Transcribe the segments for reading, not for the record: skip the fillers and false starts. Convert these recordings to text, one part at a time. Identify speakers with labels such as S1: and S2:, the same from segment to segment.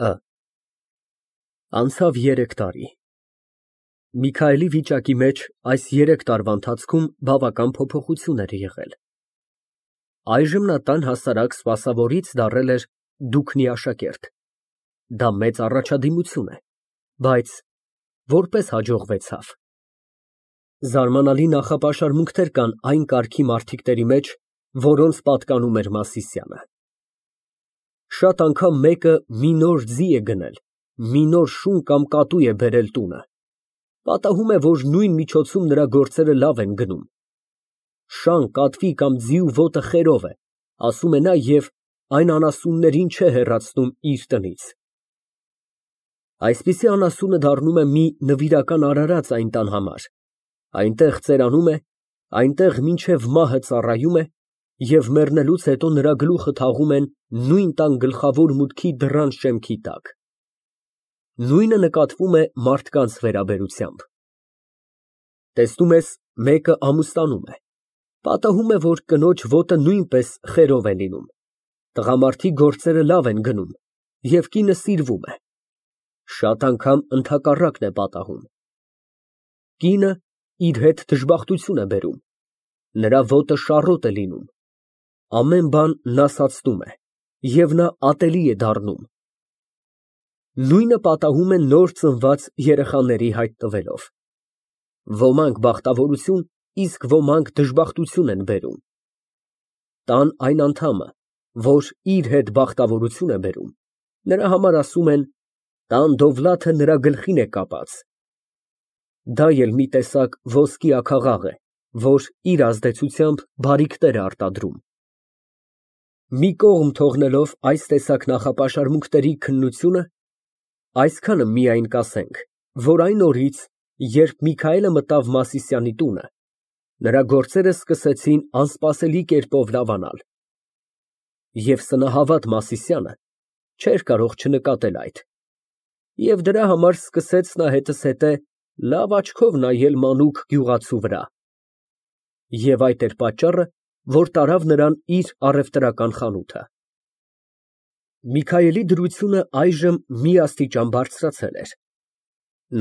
S1: Ը Անցավ 3 տարի։ Միքայելի վիճակի մեջ այս 3 տարվա ընթացքում բավական փոփոխություն էր եղել։ Այժմ նա տան հասարակ սպասավորից դառել էր դուքնի աշակերտ։ Դա մեծ առաջադիմություն է, բայց որպես հաջողվեցավ։ Զարմանալի նախապաշարմունքներ կան այն կարգի մարդիկների մեջ, որոնց պատկանում էր Մասիսյանը։ Շատ անգամ մեկը մի նոր ձի է գնել, մի նոր շուն կամ կատու է բերել տունը, պատահում է, որ նույն միջոցում նրա գործերը լավ են գնում։ Շան, կատվի կամ ձիու ոտը խերով է, ասում է նա և այն անասուններին չէ հեռացնում իր տնից։ Այսպիսի անասունը դառնում է մի նվիրական արարած այն տան համար, այնտեղ ծերանում է, այնտեղ մինչև մահը ծառայում է և մեռնելուց հետո նրա գլուխը թաղում են նույն տան գլխավոր մուտքի դռան շեմքի տակ։ Նույնը նկատվում է մարդկանց վերաբերությամբ։ Տեսնում ես, մեկը ամուսնանում է, պատահում է, որ կնոջ ոտը նույնպես խերով է լինում, տղամարդի գործերը լավ են գնում և կինը սիրվում է։ Շատ անգամ ընդհակառակն է պատահում։ Կինը իր հետ դժբախտություն է բերում, նրա ոտը շառոտ է լինում, ամեն բան նասացնում է և նա ատելի է դառնում։ Նույնը պատահում է նոր ծնված երեխաների հայտ տվելով։ Ոմանք բախտավորություն, իսկ ոմանք դժբախտություն են բերում։ Տան այն անդամը, որ իր հետ բախտավորություն է բերում, նրա համար ասում են. տան դովլաթը նրա գլխին է կապած։ Դա էլ մի տեսակ ոսկի աքաղաղ է, որ իր ազդեցությամբ բարիքներ է արտադրում։ Մի կողմ թողնելով այս տեսակ նախապաշարմունքների քննությունը, այսքանը միայն կասենք, որ այն օրից, երբ Միքայելը մտավ Մասիսյանի տունը, նրա գործերը սկսեցին անսպասելի կերպով լավանալ։ Եվ սնահավատ Մասիսյանը չէր կարող չնկատել այդ։ Եվ դրա համար սկսեց նա հետզհետե լավ աչքով նայել մանուկ գյուղացու վրա։ Եվ այդ էր պատճառը, որ տարավ նրան իր առևտրական խանութը։ Միքայելի դրությունը այժմ մի աստիճան բարձրացել էր։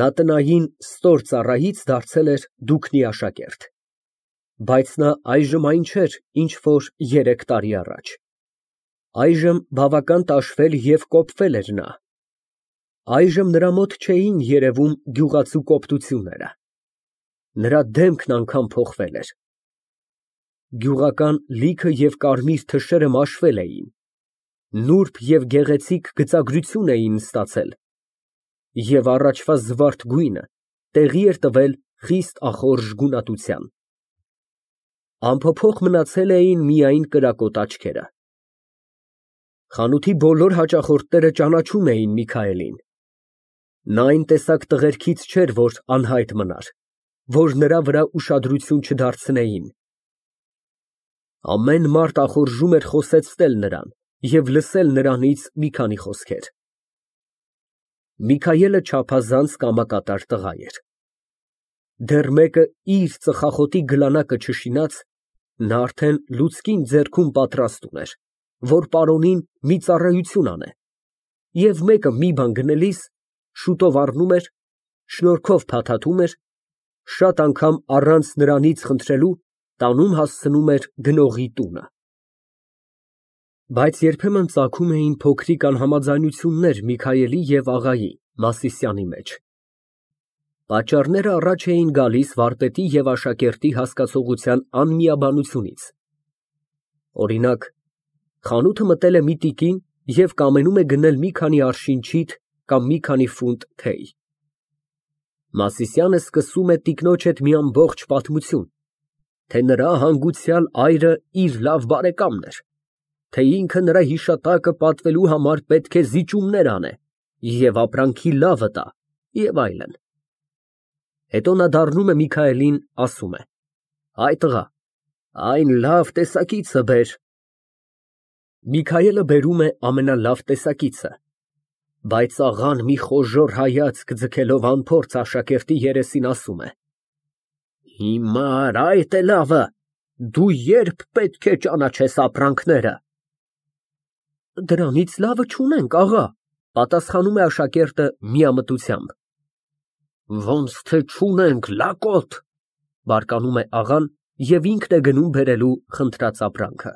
S1: Նա տնային ստոր ծառայից դարձել էր դուքնի աշակերտ։ Բայց նա այժմ այն չէր, ինչ որ 3 տարի առաջ։ Այժմ բավական տաշվել և կոպվել էր նա։ Այժմ նրա մոտ չէին երևում գյուղացու կոպտությունները։ Նրա դեմքն անգամ փոխվել էր։ Գյուղական լիքը և կարմիր թշերը մաշվել էին, նուրբ և գեղեցիկ գծագրություն էին ստացել, և առաջվա զվարթ գույնը տեղի էր տվել խիստ ախորժ գունատության։ Անփոփոխ մնացել էին միայն կրակոտ աչքերը։ Խանութի բոլոր հաճախորդները ճանաչում էին Միքայելին։ Նա այն տեսակ տղերքից չէր, որ անհայտ մնար, որ նրա վրա ուշադրություն չդարձնեին։ Ամեն մարդ ախորժում էր խոսեցնել նրան և լսել նրանից մի քանի խոսքեր։ Միքայելը չափազանց կամակատար տղա էր։ Դեռ մեկը իր ծխախոտի գլանակը չշինած, նա արդեն լուցկին ձեռքում պատրաստ ուներ, որ պարոնին մի ծառայություն անե, և մեկը մի բան գնելիս շուտով առնում էր, շնորհքով փաթաթում էր, շատ անգամ առանց նրանից խնդրելու տանում հասցնում էր գնողի տունը։ Բայց երբեմն ծագում էին փոքրիկ անհամաձայնություններ Միքայելի և աղայի Մասիսյանի մեջ։ Պատճառները առաջ էին գալիս վարպետի և աշակերտի հասկացողության անմիաբանությունից։ Օրինակ, խանութը մտել է մի տիկին և կամենում է գնել մի քանի արշին ջիթ կամ մի քանի ֆունտ թեյ։ Մասիսյանը սկսում է տիկնոջ հետ մի ամբողջ պատմություն, թե նրա հանգուցյալ այրը իր լավ բարեկամն էր, թե ինքը նրա հիշատակը պատվելու համար պետք է զիջումներ անե և ապրանքի լավը տա և այլն։ Հետո նա դառնում է Միքայելին, ասում է. «Հայ տղա, այն լավ տեսակիցը բեր»։ Միքայելը բերում է ամենալավ տեսակիցը, բայց աղան մի խոժոռ հայացք ձգելով անփորձ աշակերտի երեսին ասում է. «Հիմար, այդ է լավը, դու ե՞րբ պետք է ճանաչես ապրանքները»։ «Դրանից լավը չունենք, աղա»։ Պատասխանում է աշակերտը միամտությամբ։ Ոնց թե չունենք, լակոտ, բարկանում է աղան և ինքն է գնում բերելու խնդրած ապրանքը։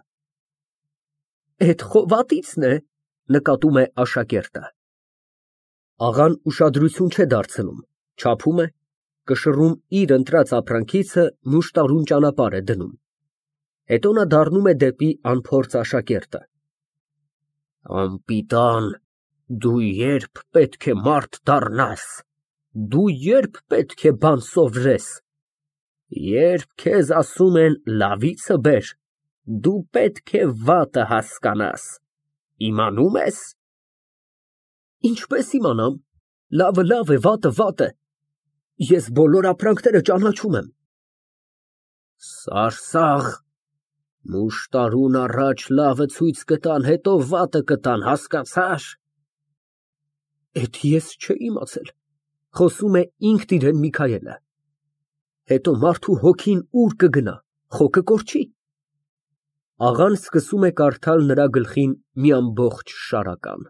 S1: Էդ խովատի՞ցն է, նկատում է աշակերտը։ Աղան ուշադրություն չէ դարձնում, չափում է, կշռում իր ընտրած ապրանքիցը մուշտարուն ճանապարհ է դնում։ Հետո նա դառնում է դեպի անփորձ աշակերտը։ Անպիտան, դու երբ պետք է մարդ դառնաս, դու երբ պետք է բան սովորես, երբ քեզ ասում են լավիցը բեր, դու պետք է վատը հասկանաս, իմանում ես։ Ինչպես իմանամ, լավը լավ է, վատը վատ է, ես բոլոր ապրանքները ճանաչում եմ։ Սարսաղ, մուշտարուն առաջ լավը ցույց կտան, հետո վատը կտան, հասկացա՞ր։ Էդ ես չէի իմացել, խոսում է ինքն իրեն Միքայելը։ Հետո մարդու հոգին ուր կգնա, խո կկորչի։ Աղան սկսում է կարդալ նրա գլխին մի ամբողջ շարական։